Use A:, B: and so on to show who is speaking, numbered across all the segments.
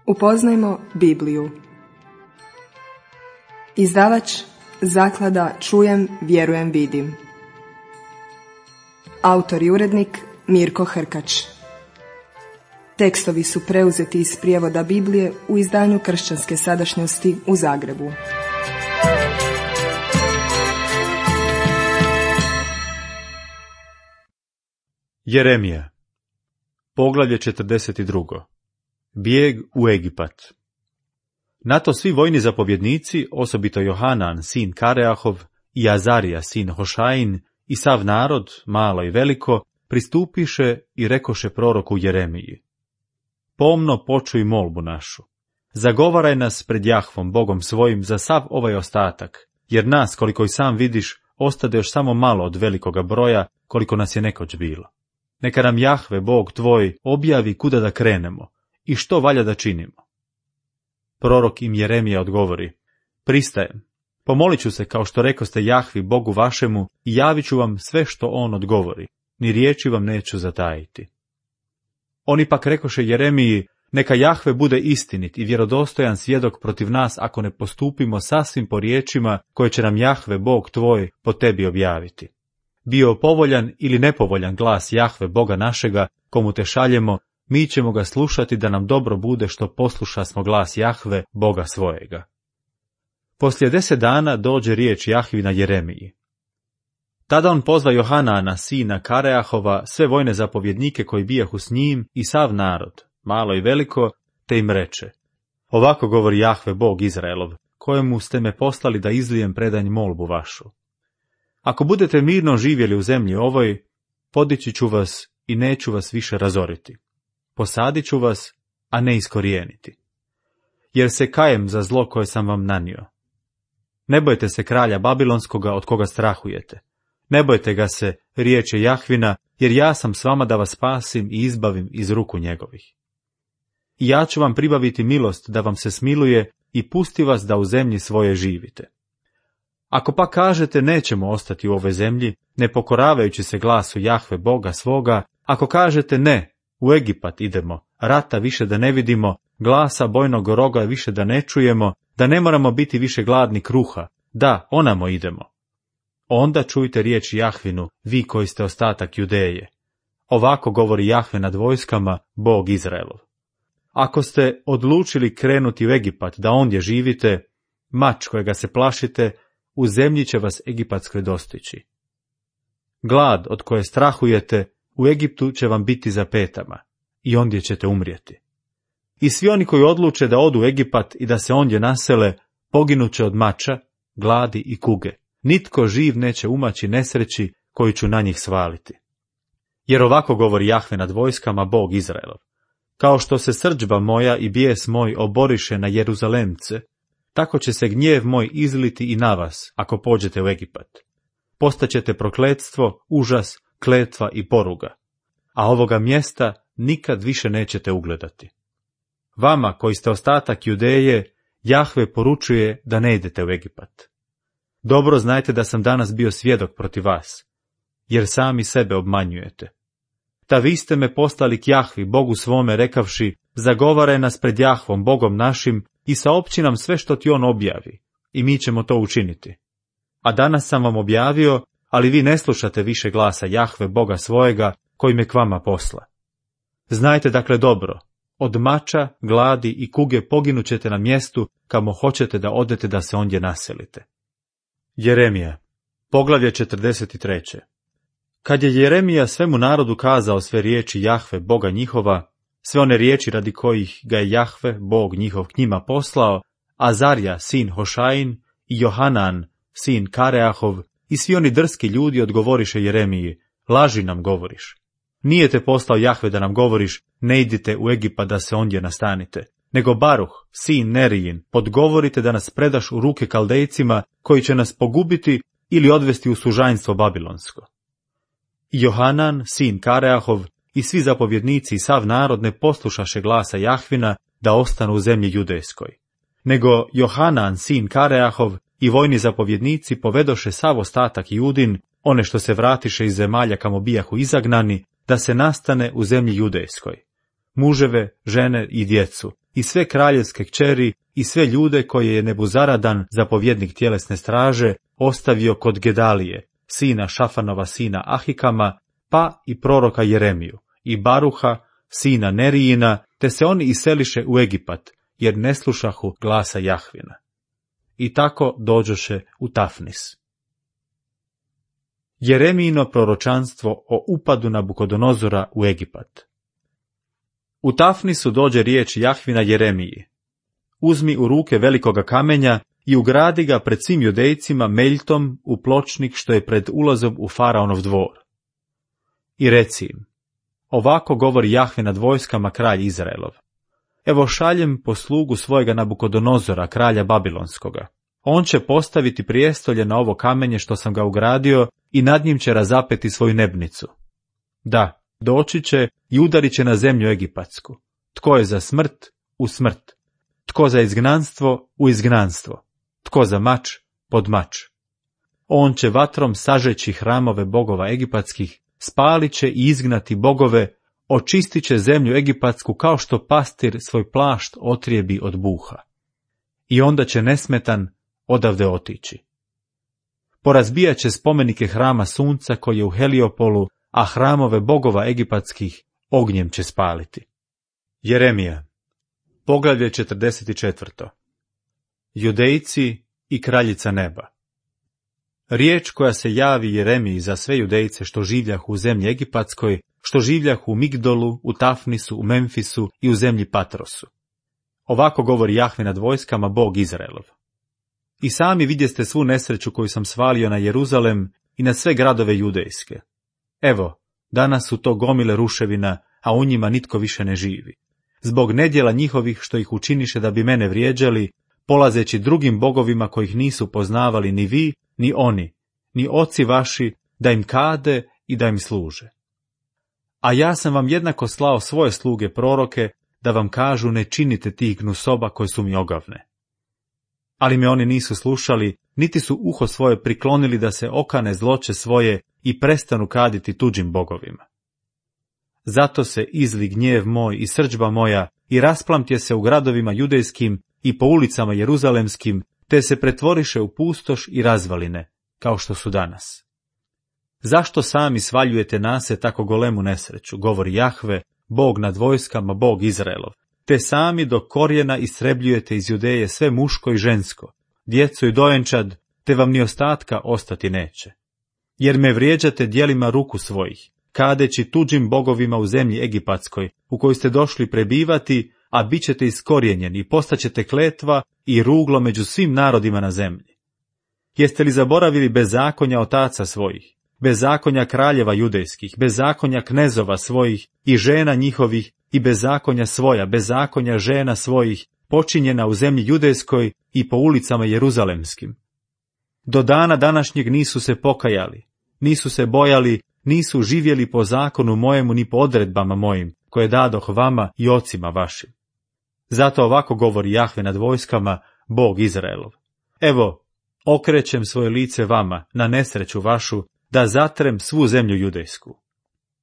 A: Upoznajmo Bibliju. Izdavač Zaklada Čujem, vjerujem, vidim. Autor i urednik Mirko Hrkač. Tekstovi su preuzeti iz prijevoda Biblije u izdanju Kršćanske sadašnjosti u Zagrebu.
B: Jeremija, poglavlje 42. Bijeg u Egipat. Na to svi vojni zapovjednici, osobito Johanan, sin Kareahov, i Azarija, sin Hošajin, i sav narod, malo i veliko, pristupiše i rekoše proroku Jeremiji: pomno počuj molbu našu. Zagovaraj nas pred Jahvom, Bogom svojim, za sav ovaj ostatak, jer nas, koliko i sam vidiš, ostade još samo malo od velikoga broja, koliko nas je nekoć bilo. Neka nam Jahve, Bog tvoj, objavi kuda da krenemo i što valja da činimo. Prorok im Jeremija odgovori: pristajem, pomolit ću se kao što rekoste Jahvi, Bogu vašemu, i javit ću vam sve što on odgovori, ni riječi vam neću zatajiti. Oni pak rekoše Jeremiji: neka Jahve bude istinit i vjerodostojan svjedok protiv nas ako ne postupimo sasvim po riječima koje će nam Jahve, Bog tvoj, po tebi objaviti. Bio povoljan ili nepovoljan glas Jahve, Boga našega, komu te šaljemo, mi ćemo ga slušati da nam dobro bude što posluša smo glas Jahve, Boga svojega. Poslije 10 dana dođe riječ Jahvina Jeremiji. Tada on pozva Johanana, sina Kareahova, sve vojne zapovjednike koji bijahu s njim i sav narod, malo i veliko, te im reče: ovako govori Jahve, Bog Izraelov, kojemu ste me poslali da izlijem predanj molbu vašu. Ako budete mirno živjeli u zemlji ovoj, podići ću vas i neću vas više razoriti. Posadit ću vas, a ne iskorijeniti. Jer se kajem za zlo koje sam vam nanio. Ne bojte se kralja Babilonskoga od koga strahujete. Ne bojte ga se, riječe Jahvina, jer ja sam s vama da vas spasim i izbavim iz ruku njegovih. I ja ću vam pribaviti milost da vam se smiluje i pusti vas da u zemlji svoje živite. Ako pa kažete nećemo ostati u ovoj zemlji, ne pokoravajući se glasu Jahve, Boga svoga, ako kažete ne, u Egipat idemo, rata više da ne vidimo, glasa bojnog roga više da ne čujemo, da ne moramo biti više gladni kruha, da, onamo idemo. Onda čujte riječ Jahvinu, vi koji ste ostatak Judeje. Ovako govori Jahve nad vojskama, Bog Izraelov. Ako ste odlučili krenuti u Egipat da ondje živite, mač kojega se plašite, u zemlji će vas egipatskoj dostići. Glad od koje strahujete, u Egiptu će vam biti za petama, i ondje ćete umrijeti. I svi oni koji odluče da odu u Egipat i da se ondje nasele, poginuće od mača, gladi i kuge. Nitko živ neće umaći nesreći koju ću na njih svaliti. Jer ovako govori Jahve nad vojskama, Bog Izraelov: kao što se srdžba moja i bijes moj oboriše na Jeruzalemce, tako će se gnjev moj izliti i na vas, ako pođete u Egipat. Postaćete prokletstvo, užas, kletva i poruga, a ovoga mjesta nikad više nećete ugledati. Vama, koji ste ostatak Judeje, Jahve poručuje da ne idete u Egipat. Dobro znajte da sam danas bio svjedok protiv vas, jer sami sebe obmanjujete. Ta vi ste me poslali k Jahvi, Bogu svome, rekavši: zagovaraj nas pred Jahvom, Bogom našim, i saopći nam sve što ti on objavi, i mi ćemo to učiniti. A danas sam vam objavio, ali vi ne slušate više glasa Jahve, Boga svojega, koji me k vama posla. Znajte dakle dobro, od mača, gladi i kuge poginućete na mjestu kamo hoćete da odete da se ondje naselite. Jeremija, poglavlje 43. Kad je Jeremija svemu narodu kazao sve riječi Jahve, Boga njihova, sve one riječi radi kojih ga je Jahve, Bog njihov, k njima poslao, Azarija, sin Hošajin, i Johanan, sin Kareahov, i svi oni drski ljudi odgovoriše Jeremiji: laži nam govoriš. Nije te poslao Jahve da nam govoriš: ne idite u Egipat da se ondje nastanite, nego Baruh, sin Nerijin, podgovorite da nas predaš u ruke Kaldejcima, koji će nas pogubiti ili odvesti u sužanjstvo babilonsko. I Johanan, sin Kareahov, i svi zapovjednici i sav narod ne poslušaše glasa Jahvina da ostanu u zemlji judejskoj. Nego Johanan, sin Kareahov, i vojni zapovjednici povedoše sav ostatak Judin, one što se vratiše iz zemalja kamo bijahu izagnani, da se nastane u zemlji judejskoj. Muževe, žene i djecu, i sve kraljevske kćeri i sve ljude koje je Nebuzaradan, zapovjednik tjelesne straže, ostavio kod Gedalije, sina Šafanova, sina Ahikama, pa i proroka Jeremiju, i Baruha, sina Nerijina, te se oni iseliše u Egipat, jer ne slušahu glasa Jahvina. I tako dođoše u Tafnis. Jeremijino proročanstvo o upadu Nabukodonozora u Egipat. U Tafnisu dođe riječ Jahvina Jeremiji. Uzmi u ruke velikoga kamenja i ugradi ga pred svim Judejcima meljtom u pločnik što je pred ulazom u Faraonov dvor. I reci im, ovako govori Jahve nad vojskama, kralj Izraelov. Evo šaljem poslugu svojega Nabukodonozora, kralja Babilonskoga. On će postaviti prijestolje na ovo kamenje što sam ga ugradio i nad njim će razapeti svoju nebnicu. Da, doći će i udarit će na zemlju egipatsku. Tko je za smrt, u smrt. Tko za izgnanstvo, u izgnanstvo. Tko za mač, pod mač. On će vatrom sažeći hramove bogova egipatskih, spalit će i izgnati bogove, očistit će zemlju egipatsku kao što pastir svoj plašt otrijebi od buha. I onda će nesmetan odavde otići. Porazbijat će spomenike hrama sunca koji je u Heliopolu, a hramove bogova egipatskih ognjem će spaliti. Jeremija, poglavlje 44. Judejci i kraljica neba. Riječ koja se javi Jeremiji za sve Judejce što življahu u zemlji egipatskoj, što življahu u Migdolu, u Tafnisu, u Memfisu i u zemlji Patrosu. Ovako govori Jahve nad vojskama, Bog Izraelov. I sami vidjeste svu nesreću koju sam svalio na Jeruzalem i na sve gradove judejske. Evo, danas su to gomile ruševina, a u njima nitko više ne živi. Zbog nedjela njihovih što ih učiniše da bi mene vrijeđali, polazeći drugim bogovima kojih nisu poznavali ni vi, ni oni, ni oci vaši, da im kade i da im služe. A ja sam vam jednako slao svoje sluge proroke, da vam kažu ne činite tih gnusoba koje su mi ogavne. Ali me oni nisu slušali, niti su uho svoje priklonili da se okane zloće svoje i prestanu kaditi tuđim bogovima. Zato se izli gnjev moj i srdžba moja i rasplamtje se u gradovima judejskim i po ulicama jeruzalemskim, te se pretvoriše u pustoš i razvaline, kao što su danas. Zašto sami svaljujete na se tako golemu nesreću, govori Jahve, Bog nad vojskama, Bog Izraelov, te sami do korijena istrebljujete iz Judeje sve muško i žensko, djecu i dojenčad, te vam ni ostatka ostati neće. Jer me vrijeđate djelima ruku svojih, kadeći tuđim bogovima u zemlji egipatskoj, u kojoj ste došli prebivati, a bit ćete iskorijenjeni i postaćete kletva i ruglo među svim narodima na zemlji. Jeste li zaboravili bezakonja otaca svojih, bezakonja kraljeva judejskih, bezakonja knezova svojih i žena njihovih i bezakonja svoja, bezakonja žena svojih, počinjena u zemlji judejskoj i po ulicama jeruzalemskim? Do dana današnjeg nisu se pokajali, nisu se bojali, nisu živjeli po zakonu mojemu ni po odredbama mojim, koje dadoh vama i ocima vašim. Zato ovako govori Jahve nad vojskama, Bog Izraelov. Evo, okrećem svoje lice vama, na nesreću vašu, da zatrem svu zemlju judejsku.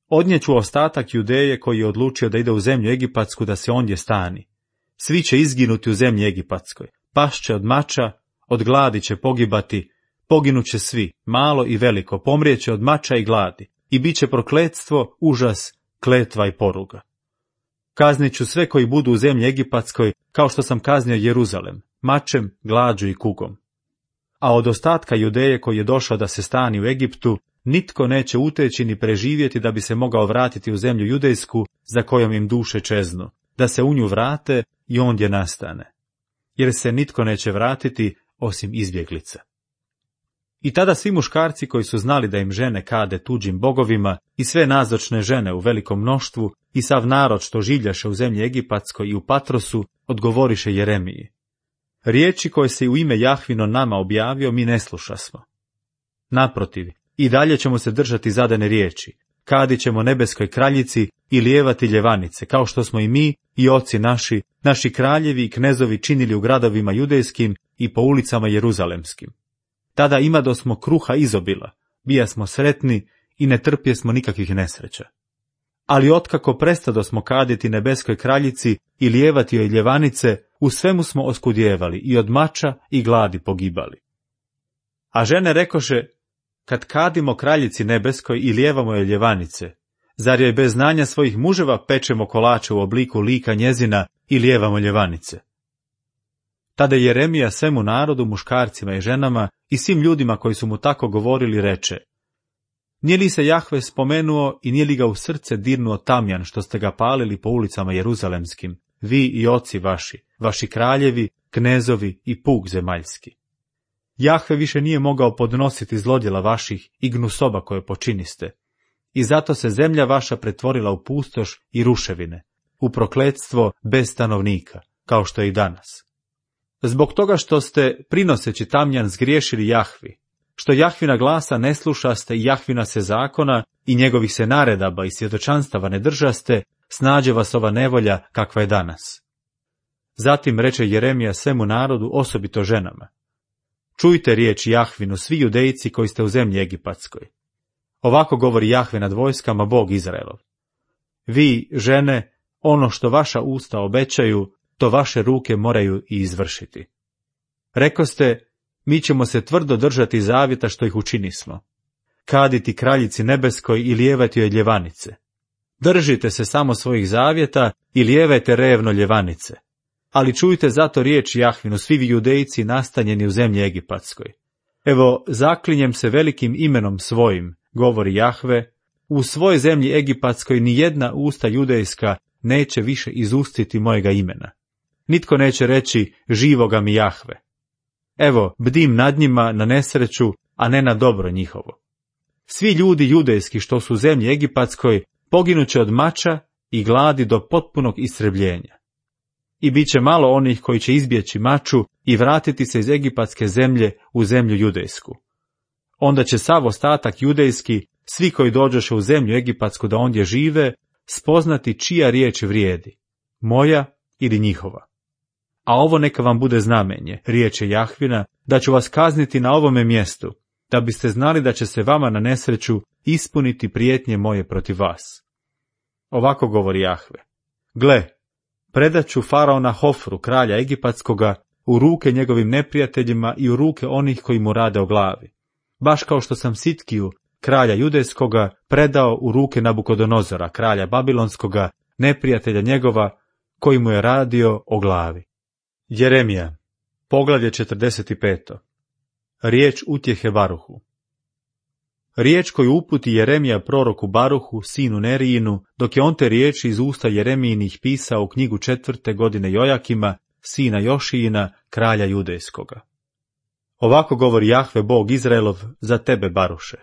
B: Odnijeću ostatak Judeje koji je odlučio da ide u zemlju egipatsku da se ondje stani. Svi će izginuti u zemlji egipatskoj, pašće od mača, od gladi će pogibati, poginuće svi, malo i veliko, pomrijeće od mača i gladi, i bit će prokletstvo, užas, kletva i poruga. Kaznit ću sve koji budu u zemlji egipatskoj, kao što sam kaznio Jeruzalem, mačem, glađu i kugom. A od ostatka Judeje koji je došao da se stani u Egiptu, nitko neće uteći ni preživjeti da bi se mogao vratiti u zemlju judejsku, za kojom im duše čeznu, da se u nju vrate i ondje nastane. Jer se nitko neće vratiti osim izbjeglica. I tada svi muškarci koji su znali da im žene kade tuđim bogovima i sve nazočne žene u velikom mnoštvu i sav narod što življaše u zemlji egipatskoj i u Patrosu, odgovoriše Jeremiji. Riječi koje se u ime Jahvino nama objavio mi ne slušasmo. Naprotiv, i dalje ćemo se držati zadane riječi, kadit ćemo nebeskoj kraljici i lijevati ljevanice, kao što smo i mi i oci naši kraljevi i knezovi činili u gradovima judejskim i po ulicama jeruzalemskim. Tada imadosmo kruha izobila, bijasmo sretni i ne trpjesmo nikakvih nesreća. Ali otkako prestadosmo kaditi nebeskoj kraljici i lijevati joj ljevanice, u svemu smo oskudjevali i od mača i gladi pogibali. A žene rekoše, kad kadimo kraljici nebeskoj i lijevamo joj ljevanice, zar joj bez znanja svojih muževa pečemo kolače u obliku lika njezina i lijevamo ljevanice? Tada Jeremija svemu narodu, muškarcima i ženama i svim ljudima koji su mu tako govorili reče, nije li se Jahve spomenuo i nije li ga u srce dirnuo tamjan što ste ga palili po ulicama jeruzalemskim, vi i oci vaši, vaši kraljevi, knezovi i puk zemaljski? Jahve više nije mogao podnositi zlodjela vaših i gnusoba koje počiniste. I zato se zemlja vaša pretvorila u pustoš i ruševine, u prokletstvo bez stanovnika, kao što je i danas. Zbog toga što ste, prinoseći tamjan, zgriješili Jahvi, što Jahvina glasa ne slušaste i Jahvina se zakona i njegovih se naredaba i svjedočanstava ne držaste, snađe vas ova nevolja kakva je danas. Zatim reče Jeremija svemu narodu, osobito ženama, čujte riječ Jahvinu, svi judejci koji ste u zemlji egipatskoj. Ovako govori Jahve nad vojskama, Bog Izraelov. Vi, žene, ono što vaša usta obećaju, to vaše ruke moraju i izvršiti. Rekoste, mi ćemo se tvrdo držati zavjeta što ih učinismo. Kaditi kraljici nebeskoj i lijevati joj ljevanice. Držite se samo svojih zavjeta i lijevajte revno ljevanice. Ali čujte zato riječ Jahvinu, svi vi judejci nastanjeni u zemlji egipatskoj. Evo, zaklinjem se velikim imenom svojim, govori Jahve, u svojoj zemlji egipatskoj ni jedna usta judejska neće više izustiti mojega imena. Nitko neće reći, živoga mi Jahve. Evo, bdim nad njima na nesreću, a ne na dobro njihovo. Svi ljudi judejski što su u zemlji egipatskoj poginuće od mača i gladi do potpunog istrebljenja. I bit će malo onih koji će izbjeći maču i vratiti se iz egipatske zemlje u zemlju judejsku. Onda će sav ostatak judejski, svi koji dođoše u zemlju egipatsku da ondje žive, spoznati čija riječ vrijedi, moja ili njihova. A ovo neka vam bude znamenje, riječ je Jahvina, da ću vas kazniti na ovome mjestu, da biste znali da će se vama na nesreću ispuniti prijetnje moje protiv vas. Ovako govori Jahve. Gle, predat ću faraona Hofru, kralja egipatskoga, u ruke njegovim neprijateljima i u ruke onih koji mu rade o glavi. Baš kao što sam Sitkiju, kralja judejskoga, predao u ruke Nabukodonozora, kralja babilonskoga, neprijatelja njegova, koji mu je radio o glavi. Jeremija, poglavlje 45. Riječ utjehe Baruhu. Riječ koju uputi Jeremija proroku Baruhu, sinu Nerijinu, dok je on te riječi iz usta Jeremijinih pisao u knjigu 4. godine Jojakima, sina Jošijina, kralja judejskoga. Ovako govori Jahve, Bog Izraelov, za tebe, Baruše.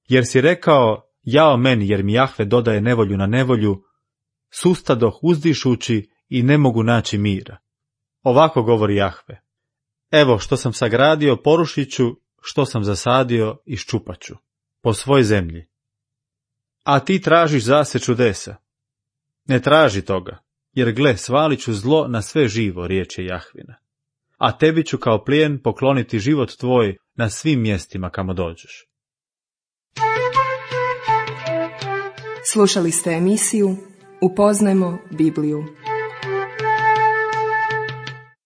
B: Jer si rekao, jao meni, jer mi Jahve dodaje nevolju na nevolju, sustadoh uzdišući i ne mogu naći mira. Ovako govori Jahve. Evo što sam sagradio, porušit ću, što sam zasadio, iščupat ću, po svoj zemlji. A ti tražiš zase čudesa. Ne traži toga, jer gle, svalit ću zlo na sve živo, riječ je Jahvina. A tebi ću kao plijen pokloniti život tvoj na svim mjestima kamo dođeš.
A: Slušali ste emisiju Upoznajmo Bibliju.